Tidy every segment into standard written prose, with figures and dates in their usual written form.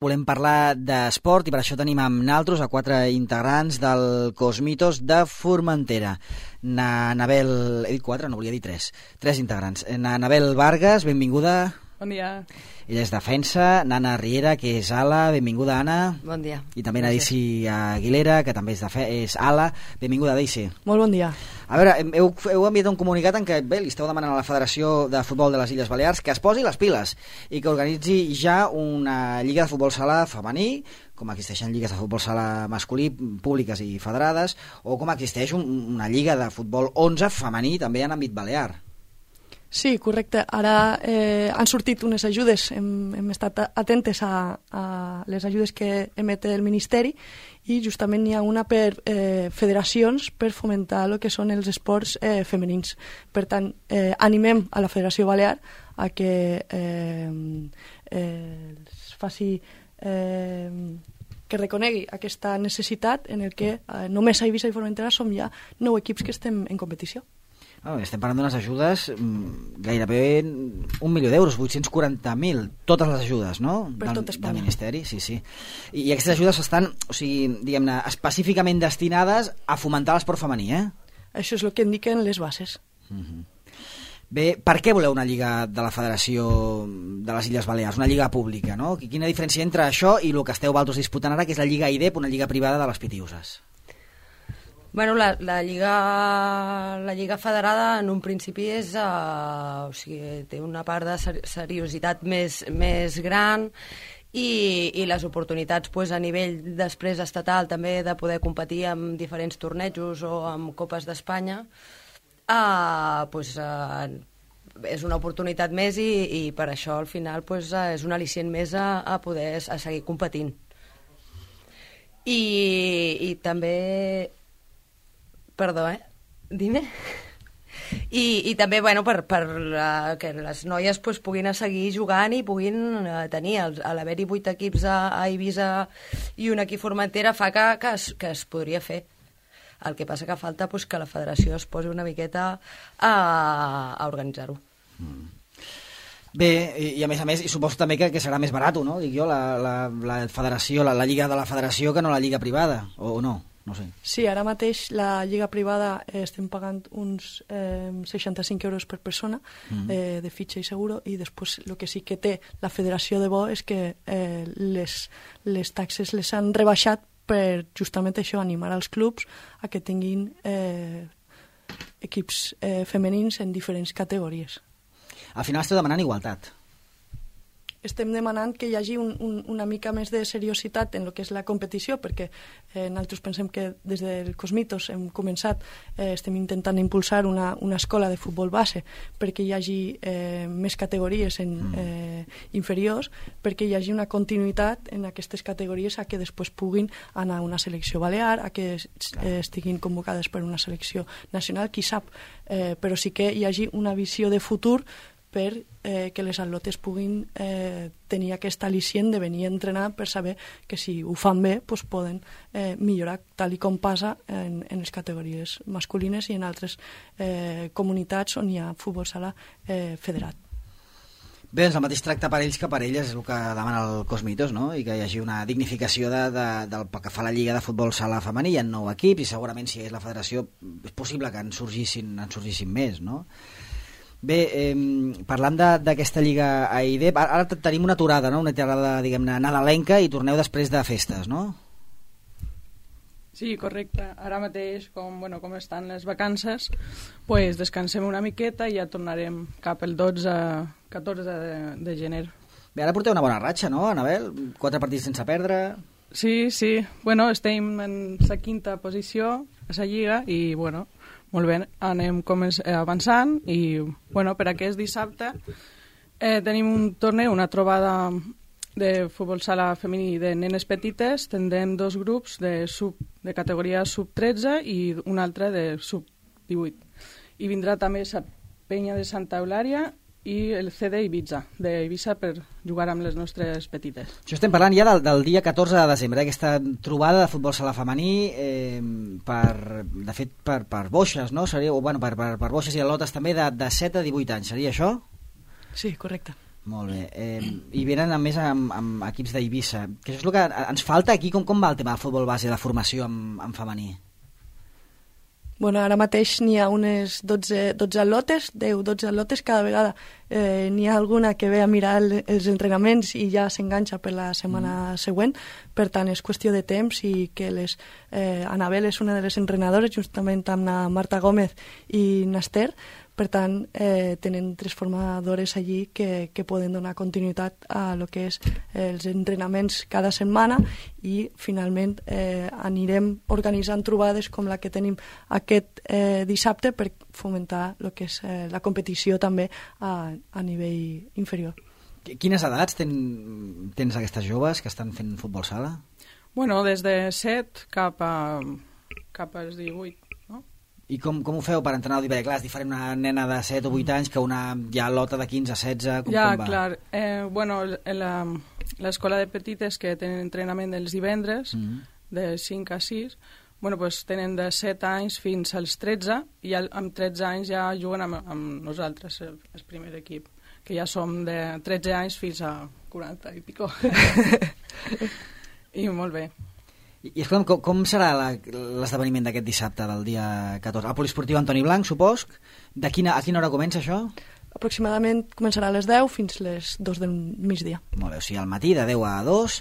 Volem parlar d'esport i per això tenim amb naltros a 4 integrants del Cosmitos de Formentera. N'Anabel... He dit 4? No, volia dir 3. 3 integrants. N'Anabel Vargas, benvinguda. Bon dia. Ella és defensa. N'Anna Riera, que és ala. Benvinguda, Anna. Bon dia. I també na Daisy Aguilera, que també és ala. Benvinguda, Daisy. Molt bon dia. A veure, heu enviat un comunicat en què li esteu demanant a la Federació de Futbol de les Illes Balears que es posi les piles i que organitzi ja una lliga de futbol sala femení, com existeixen lligues de futbol sala masculí públiques i federades, o com existeix una lliga de futbol 11 femení també en àmbit balear. Sí, correcte. Ara han sortit unes ajudes, hem estat atentes a les ajudes que emet el Ministeri i justament n'hi ha una per federacions per fomentar el que són els esports femenins. Per tant, animem a la Federació Balear a que es faci... que reconegui aquesta necessitat en el que només a Eivissa i Formentera som ja 9 equips que estem en competició. Estem parlant d'unes ajudes gairebé 1 milió d'euros, 840.000, totes les ajudes, no? Per tot Espanya. Del Ministeri, sí. I aquestes ajudes estan, o sigui, diguem-ne, específicament destinades a fomentar l'esport femení, eh? Això és el que indiquen les bases. Bé, per què voleu una lliga de la Federació de les Illes Balears, una lliga pública, no? Quina diferència entre això i el que esteu vosaltres disputant ara, que és la lliga IDEP, una lliga privada de les Pitiuses? Bueno, la lliga federada en un principi és, o sigui, té una part de seriositat més gran i les oportunitats a nivell després estatal també de poder competir en diferents tornejos o amb Copes d'Espanya és una oportunitat més i per això al final és un al·licient més a poder seguir competint. I també... Perdó, dime. I també, bueno, per que les noies puguin seguir jugant i puguin tenir, a l'haver-hi 8 equips a Eivissa i un equip Formentera fa que es podria fer. El que passa que falta que la federació es posi una miqueta a organitzar-ho. Bé, i a més, i suposo també que serà més barat, no? Dic jo, la federació, la lliga de la federació que no la lliga privada, o no? No sé. Sí, ara mateix la lliga privada estem pagant uns 65 euros per persona de fitxa i seguro, i després el que sí que té la federació de bo és que les taxes les han rebaixat per justament això, animar als clubs a que tinguin equips femenins en diferents categories. Al final esteu demanant igualtat. Estem demanant que hi hagi una mica més de seriositat en el que és la competició, perquè nosaltres pensem que des del Cosmitos hem començat, estem intentant impulsar una escola de futbol base perquè hi hagi més categories inferiors, perquè hi hagi una continuïtat en aquestes categories a que després puguin anar a una selecció balear, a que estiguin convocades per una selecció nacional, qui sap, però sí que hi hagi una visió de futur per que les atletes puguin tenir aquest al·licient de venir a entrenar per saber que si ho fan bé poden millorar, tal i com passa en les categories masculines i en altres comunitats on hi ha futbol sala federat. Bé, doncs el mateix tracte per ells que per elles és el que demana el Cosmitos, no? I que hi hagi una dignificació del que fa la lliga de futbol sala femení. Hi ha 9 equips i segurament si és la federació és possible que en sorgissin més, no? Bé, parlant d'aquesta lliga a IDEP, ara tenim una aturada, no? Una aturada, diguem-ne, nadalenca, i torneu després de festes, no? Sí, correcte. Ara mateix, com estan les vacances, descansem una miqueta i ja tornarem cap el 12-14 de gener. Bé, ara porteu una bona ratxa, no, Anabel? 4 partits sense perdre... Sí. Estem en la 5ª posició a la lliga i, molt bé, anem avançant i, per aquest dissabte tenim un torneig, una trobada de futbol sala femení de nenes petites. Tindrem 2 grups de categoria sub-13 i un altre de sub-18. I vindrà també la penya de Santa Eulària i el CD Eivissa, d'Eivissa, per jugar amb les nostres petites. Això estem parlant ja del dia 14 de desembre, aquesta trobada de futbol sala femení, de fet per boixes, no? Per boixes i al·lotes també de 7 a 18 anys, seria això? Sí, correcte. Molt bé. I venen a més amb equips d'Eivissa, que això és el que ens falta aquí. Com va el tema del futbol base de formació en femení? Bueno, ara mateix n'hi ha unes 12 al·lotes, 10-12 al·lotes cada vegada. N'hi ha alguna que ve a mirar els entrenaments i ja s'enganxa per la setmana següent. Per tant, és qüestió de temps i que Anabel és una de les entrenadores, justament amb la Marta Gómez i Naster. Per tant, tenen 3 formadores allí que poden donar continuïtat a lo que és els entrenaments cada setmana i finalment anirem organitzant trobades com la que tenim aquest dissabte per fomentar lo que és la competició també a nivell inferior. Quines edats tens aquestes joves que estan fent futbol sala? Bueno, des de 7 cap als 18. I com ho feu per entrenar? Perquè clar, és diferent una nena de 7 o 8 anys que una ja lota de 15 a 16, com va? Clar. Bueno, l'escola de petites que tenen entrenament els divendres, de 5 a 6, bueno, pues tenen de 7 anys fins als 13, i amb 13 anys ja juguen amb nosaltres, el primer equip, que ja som de 13 anys fins a 40 i pico. I molt bé. I escolta'm, com serà l'esdeveniment d'aquest dissabte, del dia 14? Al Poliesportiu Antoni Blanc, supos? A quina hora comença això? Aproximadament començarà a les 10 fins les 2 del migdia. Molt bé, o sigui, al matí de 10 a 2.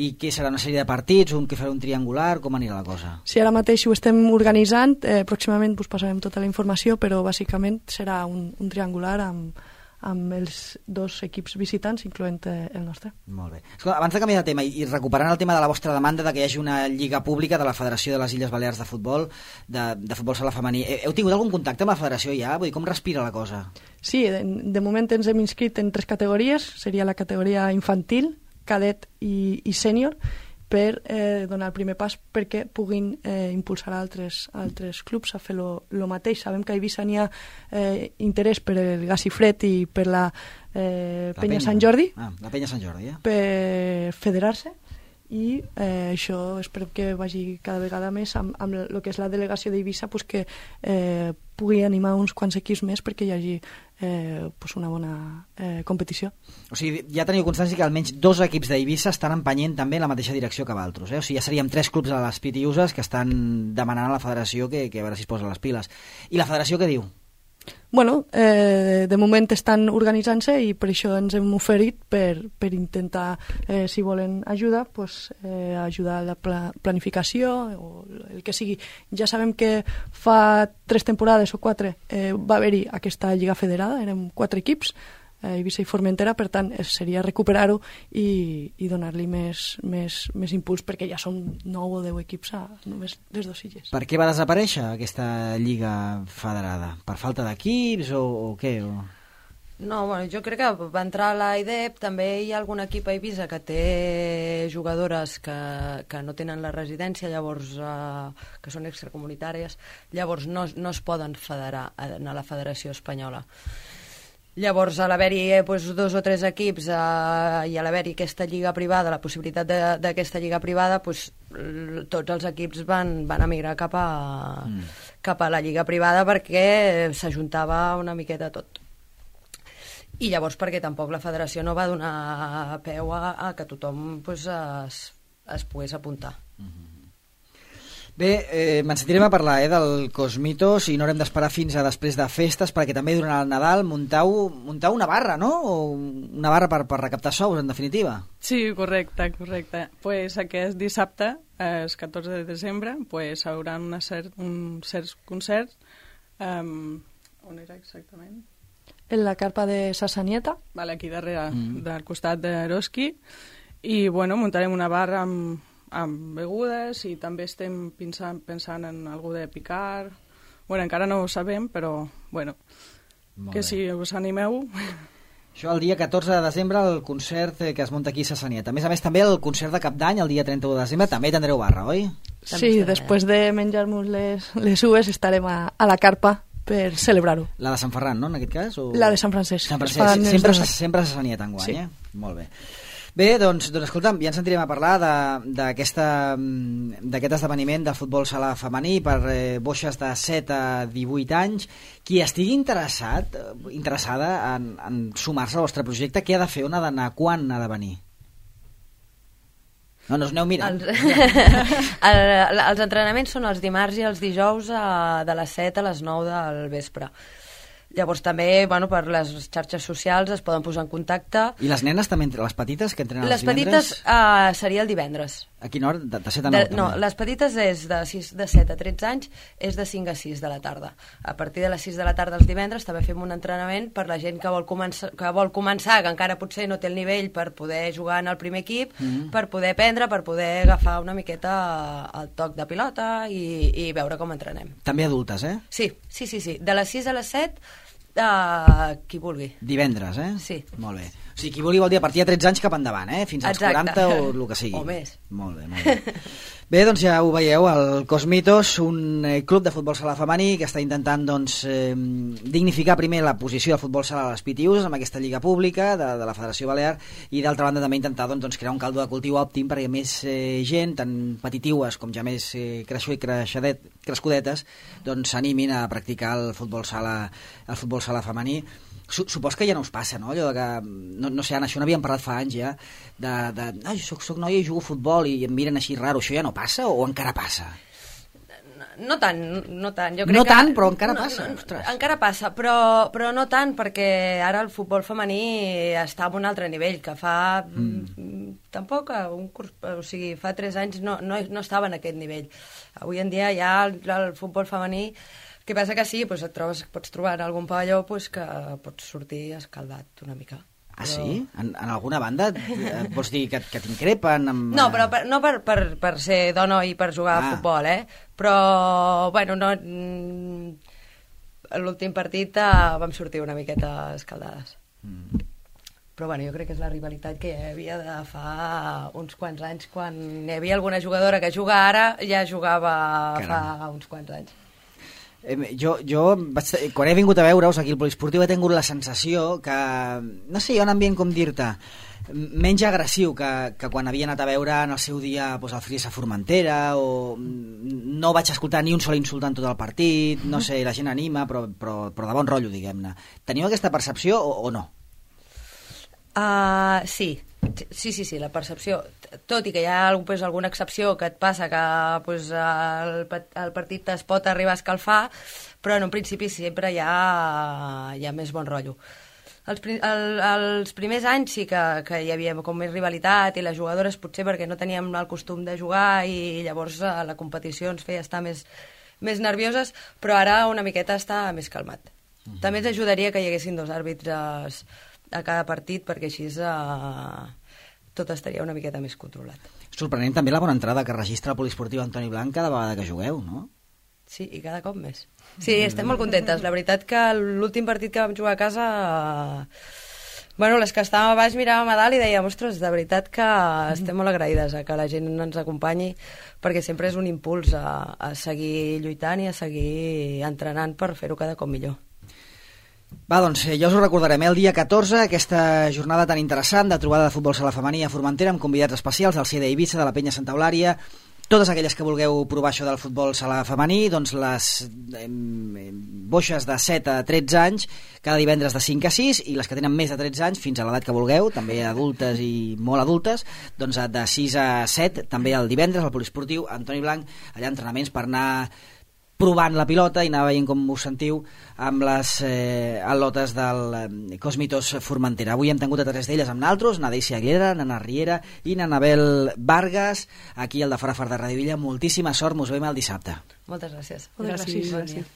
I què serà, una sèrie de partits, que farà un triangular? Com anirà la cosa? Sí, ara mateix ho estem organitzant, pròximament us passarem tota la informació, però bàsicament serà un triangular amb els 2 equips visitants, incloent el nostre. Molt bé. Escolta, abans de canviar de tema i recuperant el tema de la vostra demanda de que hi hagi una lliga pública de la Federació de les Illes Balears de Futbol, de futbol sala femení, heu tingut algun contacte amb la federació ja? Vull dir, com respira la cosa? Sí, de moment ens hem inscrit en 3 categories, seria la categoria infantil, cadet i sènior, per donar el primer pas perquè puguin impulsar altres clubs a fer lo mateix. Sabem que a Eivissa n'hi ha interès per el Gacifred i per la Penya Sant Jordi. La Penya Sant Jordi, per federar-se, i això esperem que vagi cada vegada més amb el que és la delegació d'Eivissa, pues, que pugui animar uns quants equips més perquè hi hagi una bona competició. O sigui, ja teniu constància que almenys 2 equips d'Eivissa estan empenyent també en la mateixa direcció que altres, O sigui, ja seríem 3 clubs a les Pitiuses que estan demanant a la federació que a veure si es posa les piles. I la federació què diu? Bueno, de moment estan organitzant-se i per això ens hem oferit per intentar, si volen ajuda, pues, ajudar a la planificació o el que sigui. Ja sabem que fa 3 temporades o 4 va haver-hi aquesta lliga federada, érem 4 equips, Eivissa i Formentera, per tant seria recuperar-ho i donar-li més impuls, perquè ja són 9 o 10 equips a només les 2 illes. Per què va desaparèixer aquesta lliga federada? Per falta d'equips o què? No, bueno, jo crec que va entrar a l'AIDEP, també hi ha algun equip a Eivissa que té jugadores que no tenen la residència, llavors que són extracomunitàries, llavors no es poden federar a la Federació Espanyola. Llavors, a l'haver-hi 2 o 3 equips i a l'haver-hi aquesta lliga privada, la possibilitat d'aquesta lliga privada, tots els equips van emigrar cap a la lliga privada perquè s'ajuntava una miqueta tot. I llavors perquè tampoc la federació no va donar peu a que tothom es pogués apuntar. Bé, me'n sentirem a parlar del Cosmitos i no haurem d'esperar fins a després de festes, perquè també durant el Nadal muntau una barra, no? O una barra per recaptar sous, en definitiva. Sí, correcte. Pues aquest dissabte, el 14 de desembre, pues haurà uns certs concerts. On era exactament? En la carpa de Sassanieta. Vale, aquí darrere, del costat d'Eroski. I, bueno, muntarem una barra amb begudes i també estem pensant en algú de picar. Bueno, encara no ho sabem, però, bueno, que si us animeu. Això el dia 14 de desembre, el concert que es munta aquí a Sassanieta. A més, també el concert de Cap d'Any, el dia 31 de desembre, també tindreu barra, oi? Sí, després de menjar-nos les uves estarem a la carpa per celebrar-ho. La de Sant Ferran, no, en aquest cas? O... La de Sant Francesc. Sempre a Sassanieta enguany, sí. Molt bé. Bé, doncs escolta'm, ja ens sentirem a parlar d'aquest esdeveniment de futbol sala femení per boixes de 7 a 18 anys. Qui estigui interessada en sumar-se al vostre projecte, què ha de fer? On ha d'anar? Quan ha de venir? No us aneu mirant. Els entrenaments són els dimarts i els dijous de les 7 a les 9 del vespre. Llavors també, per les xarxes socials es poden posar en contacte. I les nenes també, les petites que entrenen els divendres? Les petites seria el divendres. A quina hora? De 7 a 9? No, les petites és de 7 a 13 anys, és de 5 a 6 de la tarda. A partir de les 6 de la tarda els divendres també fem un entrenament per la gent que vol començar, que encara potser no té el nivell per poder jugar en el primer equip, per poder aprendre, per poder agafar una miqueta el toc de pilota i veure com entrenem. També adultes, eh? Sí. De les 6 a les 7 qui vulgui. Divendres, eh? Sí. Molt bé. O sigui, qui vulgui vol dir a partir de 13 anys cap endavant, eh? Fins als 40 o el que sigui. O més. Molt bé. Bé, doncs ja ho veieu, el Cosmitos, un club de futbol sala femení que està intentant dignificar primer la posició del futbol sala a les PTUs amb aquesta lliga pública de la Federació Balear i d'altra banda també intentar crear un caldo de cultiu òptim perquè més gent, tant petitiues com ja més crescudetes, s'animin a practicar el futbol sala femení. Supos que ja no us passa, no? Allò que, no sé, Anna, això n'havíem parlat fa anys ja, jo soc noia i jugo a futbol i em miren així raro, això ja no passa o encara passa? No tant. Jo crec no tant, però encara passa. Encara passa, però no tant, perquè ara el futbol femení està a un altre nivell, que fa tampoc un curs, o sigui, fa 3 anys no estava en aquest nivell. Avui en dia ja el futbol femení. El que passa que sí, pots trobar en algun pavelló que pots sortir escaldat una mica. Ah, sí? En alguna banda vols dir que t'increpen? No, però no per ser dona i per jugar a futbol, Però, l'últim partit vam sortir una miqueta escaldades. Però jo crec que és la rivalitat que hi havia de fa uns quants anys, quan hi havia alguna jugadora que juga ara, ja jugava fa uns quants anys. Jo quan he vingut a veure-us aquí al poliesportiu he tingut la sensació que, no sé, hi ha un ambient, com dir-te, menys agressiu que quan havia anat a veure en el seu dia el Friesa Formentera, o no vaig escoltar ni un sol insult en tot el partit, no sé, la gent anima, però de bon rotllo, diguem-ne. Teniu aquesta percepció o no? Sí, la percepció, tot i que hi ha alguna excepció que et passa que el partit es pot arribar a escalfar, però en un principi sempre hi ha més bon rotllo. Els primers anys sí que hi havia com més rivalitat i les jugadores potser perquè no teníem el costum de jugar i llavors la competició ens feia estar més nervioses, però ara una miqueta està més calmat. També ens ajudaria que hi haguessin 2 àrbitres a cada partit perquè així tot estaria una miqueta més controlat. Sorprenent també la bona entrada que registra el poliesportiu Antoni Blanc cada vegada que jugueu, no? Sí, i cada cop més. Sí, estem molt contentes. La veritat que l'últim partit que vam jugar a casa, les que estàvem a baix miràvem a dalt i dèiem, ostres, de veritat que estem molt agraïdes a que la gent ens acompanyi, perquè sempre és un impuls a seguir lluitant i a seguir entrenant per fer-ho cada cop millor. Va, doncs ja us ho recordarem, el dia 14, aquesta jornada tan interessant de trobada de futbol sala femení a Formentera amb convidats especials del CEDA Eivissa, de la Penya Santa Eulària. Totes aquelles que vulgueu provar això del futbol sala femení, doncs les boixes de 7 a 13 anys cada divendres de 5 a 6 i les que tenen més de 13 anys fins a l'edat que vulgueu, també adultes i molt adultes, doncs de 6 a 7 també el divendres al poliesportiu Antoni Blanc, allà entrenaments per anar provant la pilota i anar veient com us sentiu amb les al·lotes del Cosmitos Formentera. Avui hem tingut a 3 d'elles amb naltros, na Deisy Aguilera, na Riera i na Anabel Vargas, aquí al de Fora de Ràdio Villa. Moltíssima sort, mos veiem el dissabte. Moltes gràcies. Gràcies.